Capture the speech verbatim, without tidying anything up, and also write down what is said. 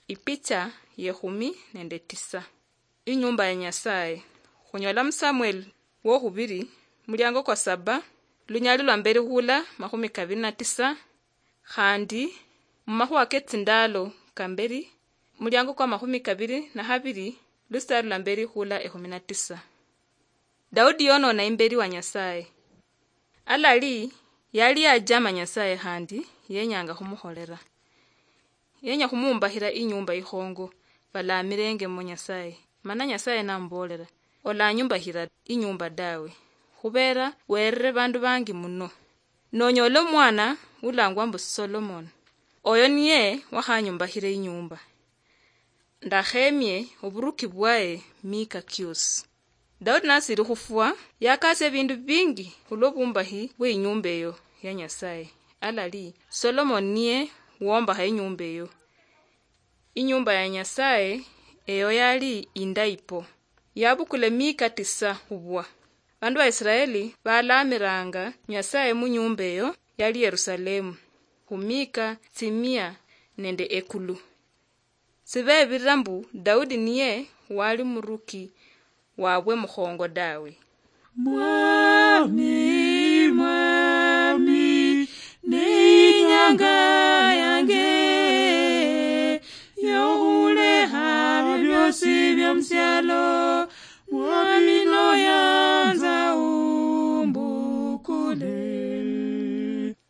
Ipicha yekhumi nende tisa. Inyumba ya Nyasaye. Khunyola mu Samuel wokhubiri, muliango kwa saba, lunyali lwa mberi khula makhumi kabiri na tisa, khandi mumakhuwa ketsindalo kamberi, muliango kwa makhumi kabiri na habiri, lusitari lwa mberi khula ekhumi na tisa. Daudi yonona imberi wa Nyasaye. Alali yali yajama Nyasaye khandi yenyanga khumukholera. Yenya khumuumbakhira inyumba ikhongo, balamirengemo Nyasaye. Mana Nyasaye namuboolera, "Olanyumbakhira inyumba dawe, khubera werere bandu bangi muno. Nonyola omwana ulangwa mbu Solomon, oyo niye wakhanyumbakhira inyumba. Ndakhemie oburuki bwaye mika kiosi." Daudi nasiri khufwa, yakasia ebindu bingi khulwo bumbahi bwe inyumba eyo ya Nyasaye. Alali, Solomon niye wombakha inyumba eyo. Inyumba ya Nyasaye eyo yali indayi po. Yabukula emika tisa khubwa. Bandu ba Israeli balamiranga Nyasaye mu nyumba eyo yali Yerusalemu, khumika tsimia nende ekulu. Sibebirira mbu Daudi niye wali muruki wabwe mukhongo dawe. Mwami, Mwami, ni inyanga yange yokhulekha byosi byomusialo. Mwami noya